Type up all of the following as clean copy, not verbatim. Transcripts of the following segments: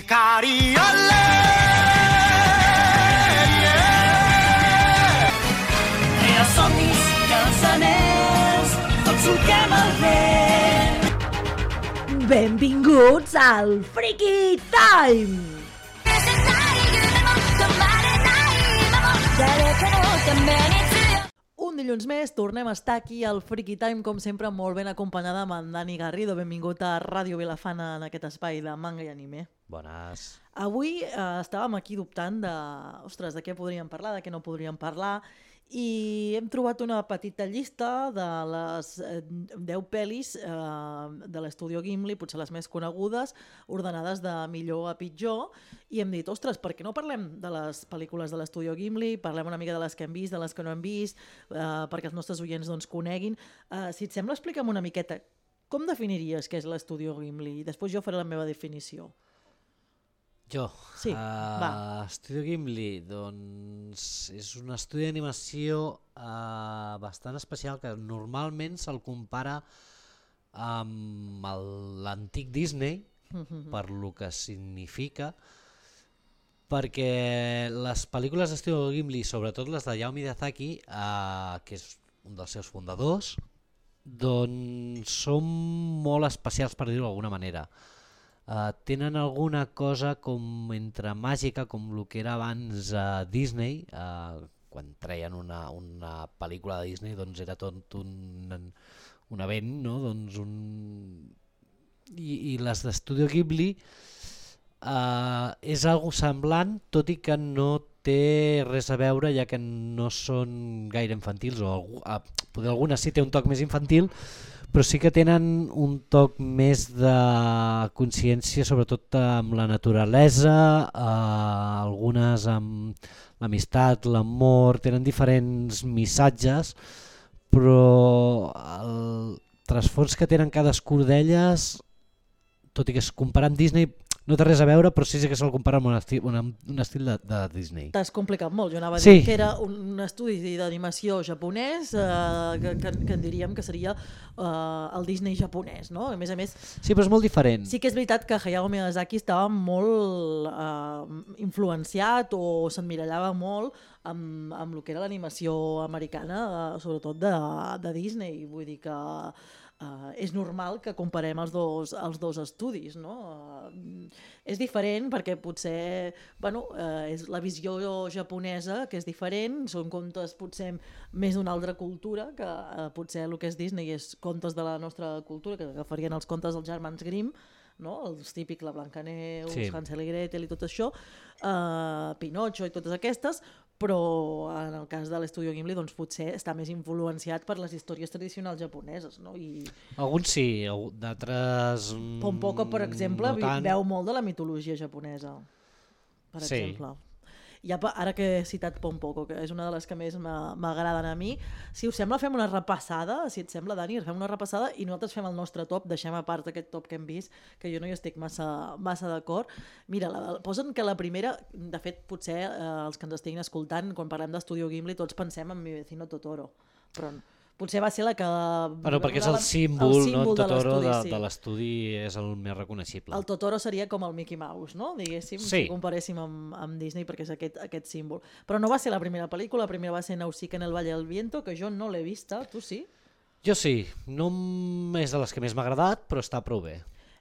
Els somnis i els anells, tots solquem el vent. Benvinguts al Freaky Time! Un dilluns més tornem a estar aquí al Freaky Time, com sempre molt ben acompanyada amb en Dani Garrido. Benvingut a Ràdio Vilafana en aquest espai de manga i anime. Bones. Avui estàvem aquí dubtant de què podríem parlar, de què no podríem parlar, i hem trobat una petita llista de les 10 pel·lis de l'estudio Ghibli, potser les més conegudes, ordenades de millor a pitjor, i hem dit, ostres, per què no parlem de les pel·lícules de l'estudio Ghibli, parlem una mica de les que hem vist, de les que no hem vist, perquè els nostres oients doncs, coneguin. Si et sembla, explica'm una miqueta, com definiries què és l'estudio Ghibli? I després jo faré la meva definició. Jo? Sí, va. Estudio Ghibli, doncs és un estudi d'animació bastant especial que normalment se'l compara amb l'antic Disney, per lo que significa, perquè les pel·lícules d'Estudio Ghibli, sobretot les de Hayao Miyazaki, que és un dels seus fundadors, doncs són molt especials, per dir-ho d'alguna manera. Tenen alguna cosa com entre màgica, com el que era abans Disney, quan treien una pel·lícula de Disney doncs era tot un event, no? Doncs I les d'Estudio Ghibli és algo semblant, tot i que no té res a veure, ja que no són gaire infantils, o poder alguna sí té un toc més infantil, però sí que tenen un toc més de consciència, sobretot amb la naturalesa, algunes amb l'amistat, l'amor, tenen diferents missatges, però el trasfons que tenen cadascú d'elles, tot i que es compara amb Disney, no té res a veure, però sí que se'l compara amb un estil de Disney. T'has complicat molt. Jo anava a dir que era un estudi d'animació japonès que en diríem que seria el Disney japonès, no? A més, sí, però és molt diferent. Sí que és veritat que Hayao Miyazaki estava molt influenciat o s'emmirallava molt amb el que era l'animació americana, sobretot de Disney. Vull dir que és normal que comparem els dos estudis, no? És diferent perquè potser és la visió japonesa que és diferent, són contes potser més d'una altra cultura, que potser el que és Disney és contes de la nostra cultura, que agafarien els contes dels germans Grimm, no? Els típics, la Blancaneus, sí. Hansel i Gretel i tot això, Pinocho i totes aquestes, però en el cas de l'estudio Ghibli doncs potser està més influenciat per les històries tradicionals japoneses, no? Alguns sí, d'altres Pompoko, per exemple, no veu molt de la mitologia japonesa, per exemple. I ara que he citat Pompoko, que és una de les que més m'agraden a mi, si us sembla fem una repassada, si et sembla, Dani, fem una repassada i nosaltres fem el nostre top, deixem a part aquest top que hem vist, que jo no hi estic massa d'acord. Mira, posen que la primera, de fet, potser els que ens estiguin escoltant, quan parlem d'Estudio Ghibli, tots pensem en Mi vecino Totoro, però potser va ser la que... Però perquè és el símbol, no? El Totoro de l'estudi és el més reconeixible. El Totoro seria com el Mickey Mouse, no? Diguéssim, sí. Si comparéssim amb Disney, perquè és aquest símbol. Però no va ser la primera pel·lícula, la primera va ser Nausicaa en el Valle del Viento, que jo no l'he vista, tu sí? Jo sí, no és de les que més m'ha agradat, però està prou bé.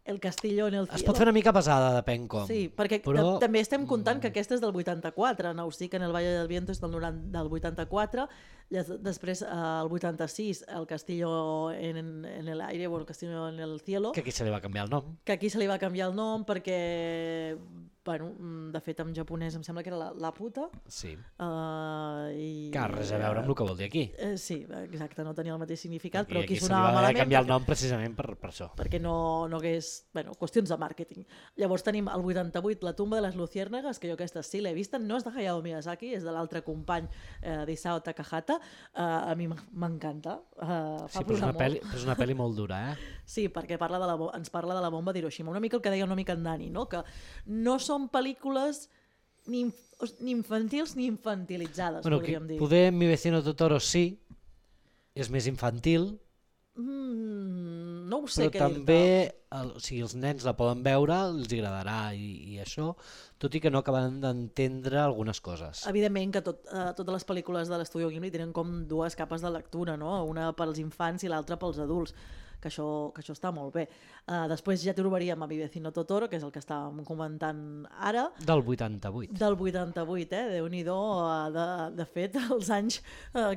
El Castillo en el Cielo. Es pot fer una mica pesada, depèn com. Sí, perquè també estem comptant que aquesta és del 84, Nausicaa en el Valle del Viento és del 84, després el 86 el Castillo en el Aire, el Castillo en el Cielo. Que aquí se li va canviar el nom. Que aquí se li va canviar el nom perquè, de fet en japonès em sembla que era la puta. Sí. Que res a veure amb el que vol dir aquí. Sí, exacte, no tenia el mateix significat, però aquí sonava malament. Se li va canviar el nom precisament per això. Perquè no hagués... qüestions de màrqueting. Llavors tenim el 88, La tumba de les luciérnagas, que jo aquesta sí l'he vista, no és de Hayao Miyazaki, és de l'altre company d'Isao Takahata. A mi m'encanta. Sí, però és una pel·li molt dura, Sí, perquè ens parla de la bomba d'Hiroshima. Una mica el que deia una mica en Dani, no? Que no són pel·lícules ni infantils ni infantilitzades, podríem dir. Poder Mi vecino Totoro sí, és més infantil, No ho sé Però què també, dir-te. o sigui, els nens la poden veure, els agradarà i això, tot i que no acaben d'entendre algunes coses. Evidentment que totes les pel·lícules de l'Estudio Ghibli tenen com dues capes de lectura, no? Una pels infants i l'altra pels adults, que això està molt bé. Després ja trobaríem a Mi vecino Totoro, que és el que estàvem comentant ara, Del 88. del 88, Déu-n'hi-do. De fet, els anys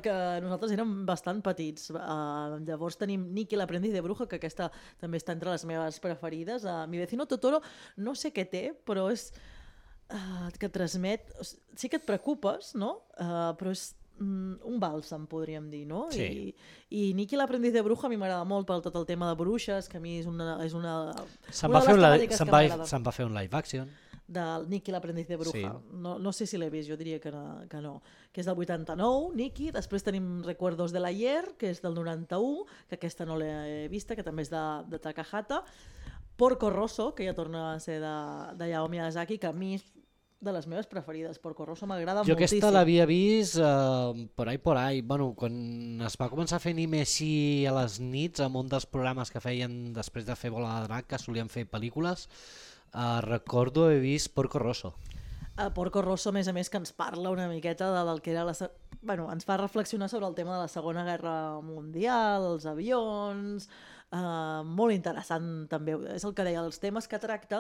que nosaltres érem bastant petits. Llavors tenim Nikki l'aprendiz de bruja, que aquesta també està entre les meves preferides. Mi vecino Totoro no sé què té, però és que transmet... Sí que et preocupes, no? Però és un bàlsam, podríem dir, no? Sí. I Nikki l'aprendiz de bruja a mi m'agrada molt per tot el tema de bruixes, que a mi és una Se'n una va, de fer les un temàtiques que m'agrada. se'n va fer un live action. Del Nikki l'aprendiz de bruja. Sí. No sé si l'he vist, jo diria que no. Que és del 89, Nikki. Després tenim Recuerdos de l'ayer, que és del 91, que aquesta no l'he vista, que també és de Takahata. Porco Rosso, que ja torna a ser de Hayao Miyazaki, que a mi és de les meves preferides. Porco Rosso m'agrada Jo moltíssim. aquesta l'havia vist por ahí. Bueno, quan es va començar a fer anime així a les nits, en un dels programes que feien després de fer Bola de Drac, que solien fer pel·lícules, recordo haver vist Porco Rosso. Porco Rosso, a més, que ens parla una miqueta del que era ens fa reflexionar sobre el tema de la Segona Guerra Mundial, els avions... molt interessant també, és el que deia, els temes que tracta,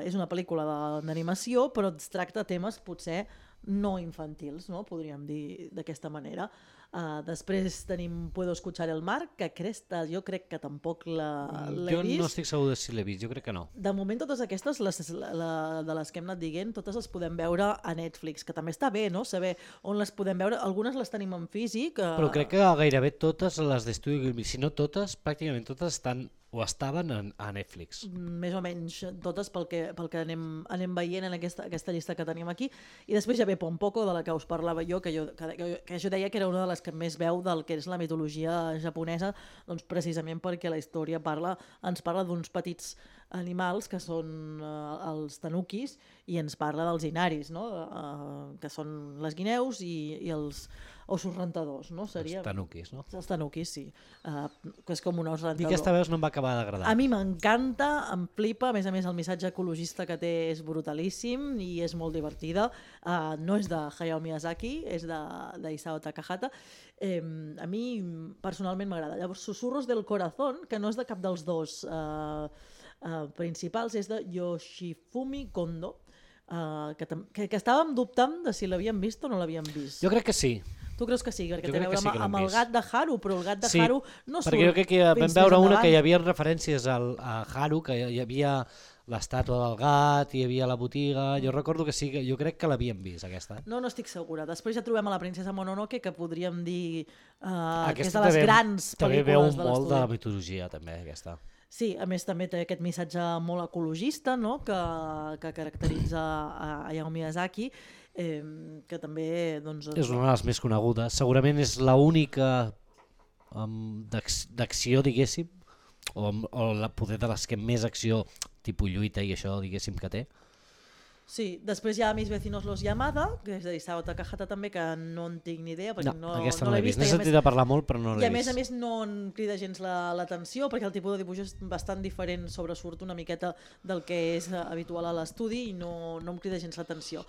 és una pel·lícula d'animació, però ens tracta temes potser no infantils, no? Podríem dir d'aquesta manera. Després tenim Puedo escuchar el mar, que aquesta jo crec que tampoc l'he Jo vist. no estic segur de si l'he vist, jo crec que no. De moment totes aquestes, de les que hem anat dient, totes les podem veure a Netflix, que també està bé, no? Saber on les podem veure. Algunes les tenim en físic. Però crec que gairebé totes les d'Estudio Ghibli, si no totes, pràcticament totes estan o estaven a Netflix. Més o menys totes pel que anem veient en aquesta llista que tenim aquí. I després ja ve Pompoko, de la que us parlava jo, que jo deia que era una de les que més veu del que és la mitologia japonesa, doncs precisament perquè la història ens parla d'uns petits animals que són els tanukis i ens parla dels inaris, no? Que són les guineus i els ossos rentadors, no? Els tanukis, no? Els tanukis, sí. Que és com un os I rentador. aquesta veus no em va acabar d'agradar. A mi m'encanta, em flipa, a més el missatge ecologista que té és brutalíssim i és molt divertida. No és de Hayao Miyazaki, és d'Isao Takahata. A mi personalment m'agrada. Llavors, Susurros del Corazón, que no és de cap dels dos principals, és de Yoshifumi Kondo, que estàvem dubtant de si l'havíem vist o no l'havíem vist. Jo crec que sí. Tu creus que sí? Perquè Jo té a crec que veure sí que l'hem amb el vist. gat de Haru, però el gat de Sí, Haru no surt. perquè jo crec que vam fins veure més una que hi endavant. havia referències a Haru, que hi havia l'estàtua del gat, hi havia la botiga... Jo recordo que sí, jo crec que l'havíem vist, aquesta. No estic segura. Després ja trobem a la princesa Mononoke, que podríem dir que és Aquesta de les també- grans També pel·lícules veu de molt de la l'estudi. mitologia, també, aquesta. Sí, a més també té aquest missatge molt ecologista, no? que caracteritza a Hayao Miyazaki, que també... Doncs, És una de les més conegudes. Segurament és l'única d'acció, diguéssim, o el poder de les que més acció, tipus lluita i això, diguéssim, que té. Sí, després hi ha Mis vecinos los Yamada, que és d'Isao Takahata també, que no en tinc ni idea, perquè no aquesta no l'he l'he vist. vista. N'he sentit a parlar molt, però no I l'he a vist. més no em crida gens l'atenció, perquè el tipus de dibuix és bastant diferent, sobresurt una miqueta del que és habitual a l'estudi i no em crida gens l'atenció.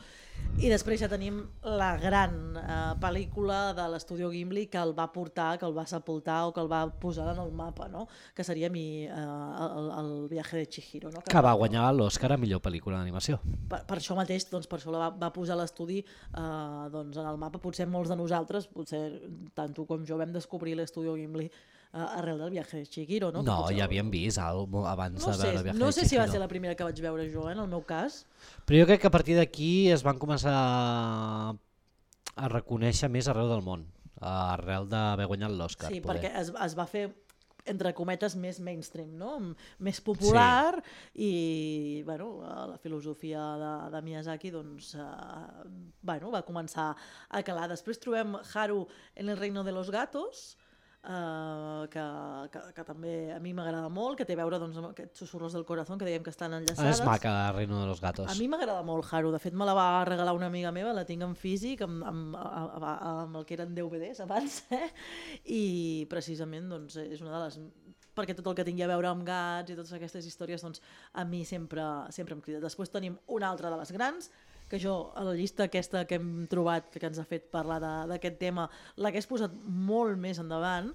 I després ja tenim la gran pel·lícula de l'Estudio Ghibli que el va portar, que el va sepultar o que el va posar en el mapa, no? Que seria el viaje de Chihiro. No? Que va guanyar l'Oscar a millor pel·lícula d'animació. Per això mateix, doncs, per això la va posar l'estudi doncs, en el mapa. Potser molts de nosaltres, potser tant tu com jo, vam descobrir l'Estudio Ghibli arrel del viaje de Chihiro. No, No, ja havíem vist abans de veure el viaje de Chihiro. No sé si va ser la primera que vaig veure jo, en el meu cas. Però jo crec que a partir d'aquí es van començar a reconèixer més arreu del món, arrel d'haver guanyat l'Oscar. Sí, perquè es va fer, entre cometes, més mainstream, no? Més popular, sí. I bueno, la filosofia de Miyazaki doncs, va començar a calar. Després trobem Haru en el reino de los gatos, que també a mi m'agrada molt, que té a veure doncs, amb aquests susurros del corazón que dèiem que estan És enllaçades. maca, Reino de los Gatos. A mi m'agrada molt Haru, de fet me la va regalar una amiga meva, la tinc en físic, amb el que eren DVDs abans, i precisament doncs, és una de les... perquè tot el que tingui a veure amb gats i totes aquestes històries doncs, a mi sempre em crida. Després tenim una altra de les grans, que jo a la llista aquesta que hem trobat, que ens ha fet parlar d'aquest tema, l'hagués posat molt més endavant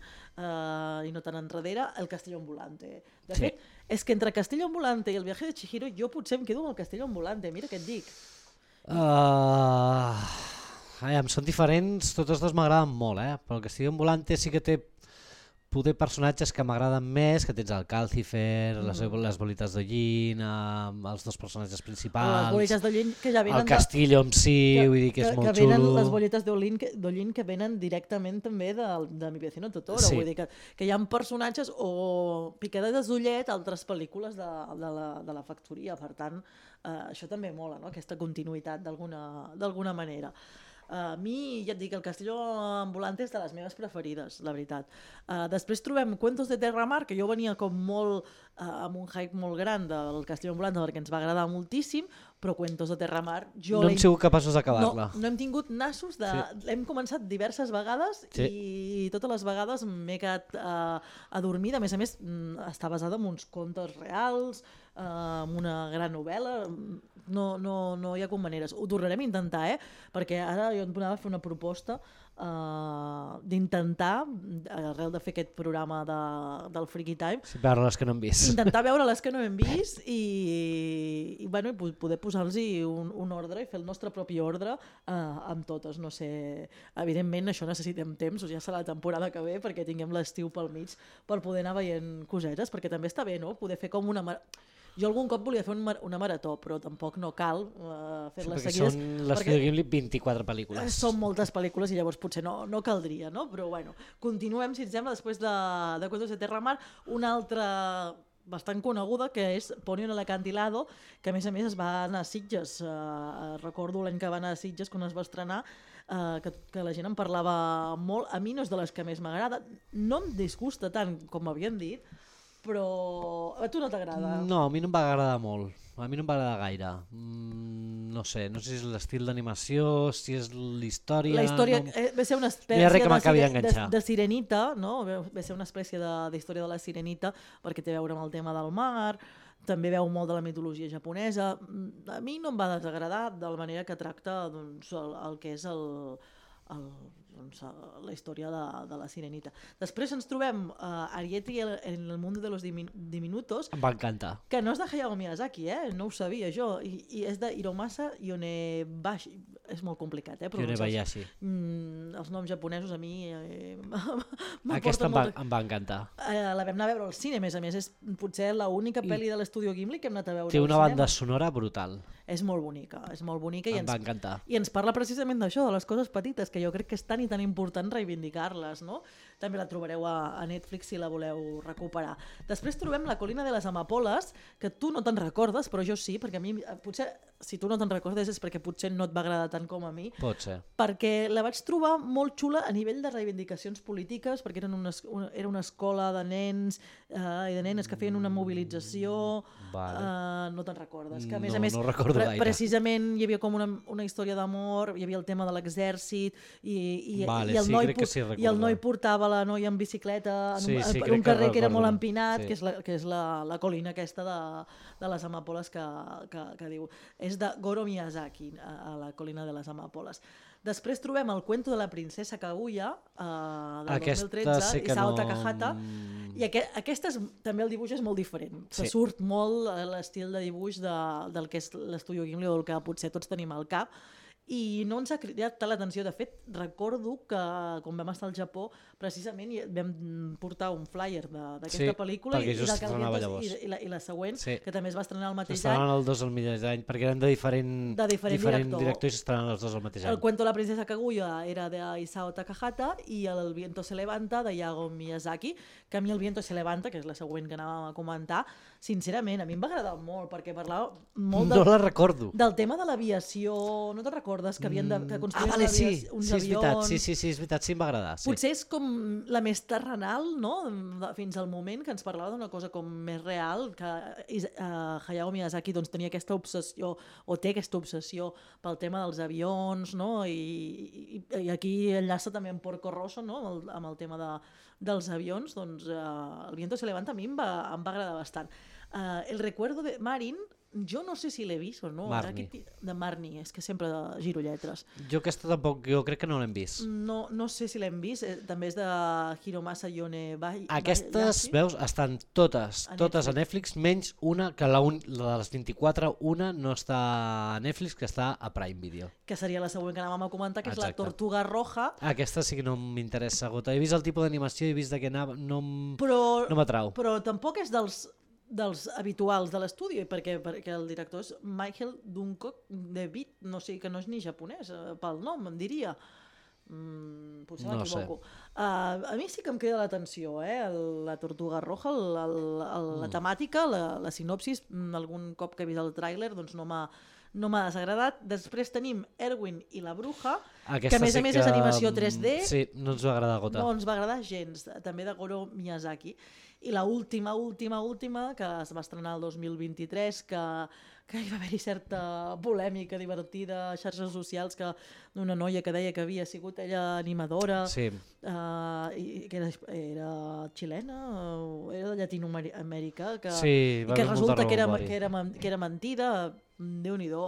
i no tan enrere, el Castillo Ambulante. De fet, és que entre Castillo Ambulante i el Viaje de Chihiro jo potser em quedo amb el Castillo Ambulante, mira què et dic. Són diferents, totes dues m'agraden molt, però el Castillo Ambulante sí que té poder personatges que m'agraden més, que tens el Calcifer, les bolites d'Ollín, els dos personatges principals, les bolites d'Ollín que ja venen el Castillo en si, vull dir que és molt xulo. Venen les bolites d'Ollín que venen directament també de Mi vecino Totoro, vull dir que hi ha personatges o picades d'ullet a altres pel·lícules de la factoria, per tant això també mola, no? Aquesta continuïtat d'alguna manera. A mi, ja et dic, el Castillo Ambulante és de les meves preferides, la veritat. Després trobem Cuentos de Terramar, que jo venia com molt amb un hype molt gran del Castillo Ambulante perquè ens va agradar moltíssim, però Cuentos de Terramar... No hem sigut capaços d'acabar-la. No hem tingut nassos l'hem començat diverses vegades i totes les vegades m'he quedat adormida. A més, està basada en uns contes reals, en una gran novel·la... No hi ha com maneres. Ho tornarem a intentar, perquè ara jo em donava a fer una proposta d'intentar, arrel de fer aquest programa del Freaky Time, veure les que no hem vist. Intentar veure les que no hem vist i poder posar-los un ordre i fer el nostre propi ordre amb totes. No sé, evidentment això necessitem temps, ja serà la temporada que ve perquè tinguem l'estiu pel mig per poder anar veient cosetes, perquè també està bé, no? Poder fer com una... Jo algun cop volia fer una marató, però tampoc no cal fer-les seguides. Són l'Estudio Ghibli 24 pel·lícules. Són moltes pel·lícules i llavors potser no caldria, no? Però bueno, continuem, si et sembla, després de Cuentos de Terramar, una altra bastant coneguda que és Ponyo en el Acantilado, que a més es va anar a Sitges. Recordo l'any que va anar a Sitges quan es va estrenar, que la gent en parlava molt. A mi no és de les que més m'agrada, no em disgusta tant com m'havien dit, però a tu no t'agrada? No, a mi no em va agradar molt, a mi no em va agradar gaire. No sé si és l'estil d'animació, si és l'història... La història va ser una espècie de sirenita, no? Va ser una espècie d'història de la sirenita perquè té a veure amb el tema del mar, també veu molt de la mitologia japonesa. A mi no em va desagradar de la manera que tracta doncs, el que és la història de la sirenita. Després ens trobem Ariete en el mundo de los diminutos. Em va encantar. Que no és de Hayao Miyazaki, no ho sabia jo. I és de Hiromasa Yonebayashi. És molt complicat, Yonebayashi. Els noms japonesos a mi Aquesta em va encantar. La vam anar a veure al cine, a més. És potser l'única pel·li de l'Estudio Ghibli que hem anat a veure al cinema. Té una banda cinema. Sonora brutal. És molt bonica. Em va encantar. I ens parla precisament d'això, de les coses petites, que jo crec que és tan i tan important reivindicar-les, no? També la trobareu a Netflix si la voleu recuperar. Després trobem La colina de les amapoles, que tu no te'n recordes, però jo sí, perquè a mi, potser, si tu no te'n recordes és perquè potser no et va agradar tant com a mi. Pot ser. Perquè la vaig trobar molt xula a nivell de reivindicacions polítiques, perquè era una escola de nens i de nenes que feien una mobilització. No te'n recordes. Que a més, no recordo gaire. Precisament hi havia com una història d'amor, hi havia el tema de l'exèrcit i el noi portava la noia en bicicleta per un carrer que era molt empinat, que és la colina aquesta de les amapoles que diu. És de Goro Miyazaki, a la colina de les amapoles. Després trobem el Cuento de la princesa Kaguya del 2013, Isao Takahata, i aquesta també el dibuix és molt diferent. Se surt molt l'estil de dibuix del que és l'Estudio Ghibli o del que potser tots tenim al cap, i no ens ha cridat tant l'atenció. De fet, recordo que quan vam estar al Japó precisament vam portar un flyer d'aquesta pel·lícula i la següent, que també es va estrenar el mateix any. S'estrenaven els dos al mateix any, perquè eren de diferent director i s'estrenaven els dos al mateix any. El Cuento de la princesa Kaguya era de Isao Takahata i el Viento se levanta de Hayao Miyazaki, que a mi el Viento se levanta, que és la següent que anàvem a comentar, sincerament, a mi em va agradar molt, perquè parlava molt No la recordo. del tema de l'aviació. No te'n recordes que havien de construir vale, sí, uns és veritat, avions? sí, és veritat, sí em va agradar. Sí. Potser és com la més terrenal, no? Fins al moment que ens parlava d'una cosa com més real, que Hayao Miyazaki doncs, tenia aquesta obsessió, o té aquesta obsessió pel tema dels avions, no? I aquí enllaça també amb Porco Rosso, no? Amb el tema dels avions, doncs El viento se levanta a mi em va agradar bastant. El recuerdo de Marin, jo no sé si l'he vist o no. Marnie. De Marnie, és que sempre giro lletres. Jo aquesta tampoc, jo crec que no l'hem vist. No sé si l'hem vist, també és de Hiromasa Yone Aquestes, veus, estan totes a Netflix, menys una, que la de les 24, una no està a Netflix, que està a Prime Video. Que seria la següent que anàvem a comentar, que és Exacte. la Tortuga Roja. Aquesta sí que no m'interessa, gota. He vist el tipus d'animació, he vist de què anava, no m'atrau. Però tampoc és dels habituals de l'estudi, perquè el director és Michael Duncock de Beat, no sé, que no és ni japonès, pel nom, em diria. Potser m'equivoco. A mi sí que em crida l'atenció, la Tortuga Roja, la temàtica, la sinopsis, algun cop que he vist el tràiler, doncs no m'ha desagradat. Després tenim Erwin i la Bruja, que a més és animació 3D. Sí, no ens va agradar, gota. No ens va agradar gens, també de Goro Miyazaki. I la última, que es va estrenar el 2023, que hi va haver-hi certa polèmica divertida a xarxes socials, que una noia que deia que havia sigut ella animadora, sí. I que era xilena o era de Llatinoamèrica, sí, i que resulta que era mentida. Déu-n'hi-do,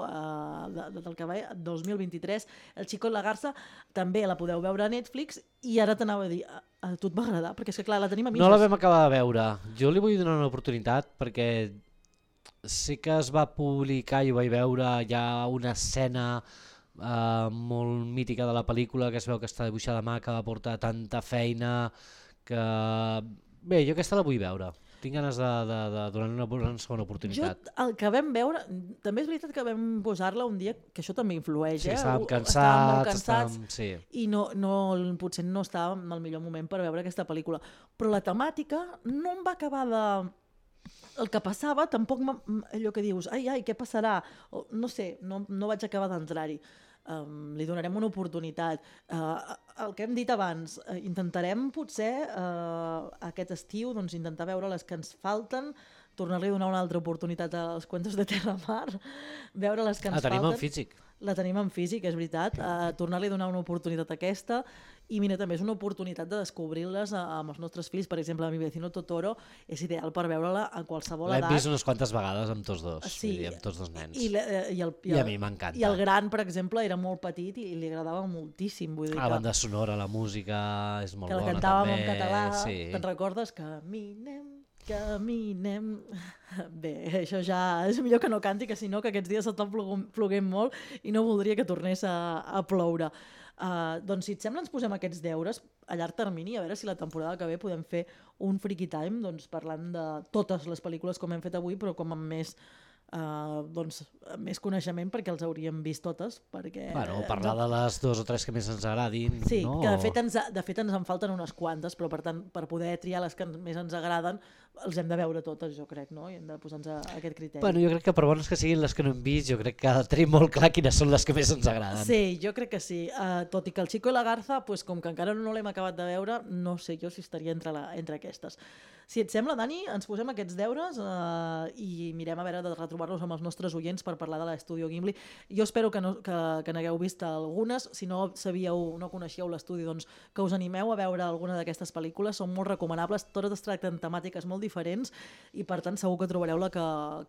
del que va 2023, El Chico i la Garza, també la podeu veure a Netflix, i ara t'anava a dir, a tu et va agradar? Perquè és que clar, la tenim a mitges. No la vam acabar de veure. Jo li vull donar una oportunitat perquè sí que es va publicar i ho vaig veure ja una escena molt mítica de la pel·lícula, que es veu que està dibuixada a mà, que va portar tanta feina que... Bé, jo aquesta la vull veure. Tinc ganes de donar una segona oportunitat. Jo, el que vam veure, també és veritat que vam posar-la un dia, que això també influeix, sí, estàvem cansats, sí. I potser no estàvem en el millor moment per veure aquesta pel·lícula. Però la temàtica no em va acabar de... El que passava, tampoc allò que dius, ai, què passarà? No sé, no vaig acabar d'entrar-hi. Li donarem una oportunitat. El que hem dit abans, intentarem potser aquest estiu intentar veure les que ens falten, tornar-li a donar una altra oportunitat als Cuentos de Terramar, veure les que ens falten. La tenim en físic. La tenim en físic, és veritat. Tornar-li a donar una oportunitat a aquesta, i mira, també és una oportunitat de descobrir-les amb els nostres fills. Per exemple, Mi vecino Totoro és ideal per veure-la a qualsevol edat. L'hem vist unes quantes vegades amb tots dos, sí, amb tots dos nens. I a mi m'encanta. I el gran, per exemple, era molt petit i li agradava moltíssim. Vull dir la banda sonora, la música és molt bona també. Que la cantàvem en català, sí. Te'n recordes? Caminem... Bé, això ja és millor que no canti, que si no, que aquests dies s'està ploguent molt i no voldria que tornés a ploure. Doncs si et sembla ens posem aquests deures a llarg termini, a veure si la temporada que ve podem fer un Freaky Time parlant de totes les pel·lícules com hem fet avui, però com amb més coneixement, perquè els hauríem vist totes. Parlar de les 2 o 3 que més ens agradin. Sí, que de fet ens en falten unes quantes, però per tant, per poder triar les que més ens agraden, els hem de veure totes, jo crec, no? I hem de posar-nos a aquest criteri. Jo crec que per bones que siguin les que no hem vist, jo crec que tenim molt clar quines són les que més ens agraden. Sí, jo crec que sí. Tot i que El Chico i la Garza, com que encara no l'hem acabat de veure, no sé jo si estaria entre aquestes. Si et sembla, Dani, ens posem aquests deures i mirem a veure de retrobar-nos amb els nostres oients per parlar de l'Estudio Ghibli. Jo espero que n'hagueu vist algunes. Si no coneixíeu l'estudi, doncs que us animeu a veure alguna d'aquestes pel·lícules. Són molt recomanables, totes es tracten temàtiques molt diferents i per tant segur que trobareu la que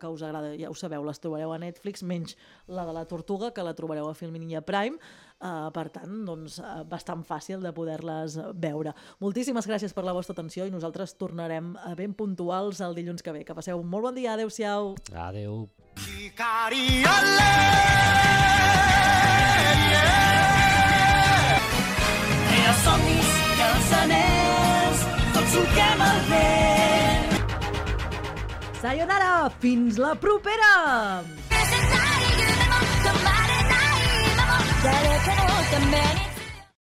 us agrada. Ja ho sabeu, les trobareu a Netflix, menys la de la Tortuga, que la trobareu a Filmin i a Prime. Per tant, doncs, bastant fàcil de poder-les veure. Moltíssimes gràcies per la vostra atenció i nosaltres tornarem ben puntuals el dilluns que ve. Que passeu un molt bon dia. Adéu-siau. Adéu. Els somnis i els anells, tots solquem el vent. Sayonara! Fins la propera! 誰かのために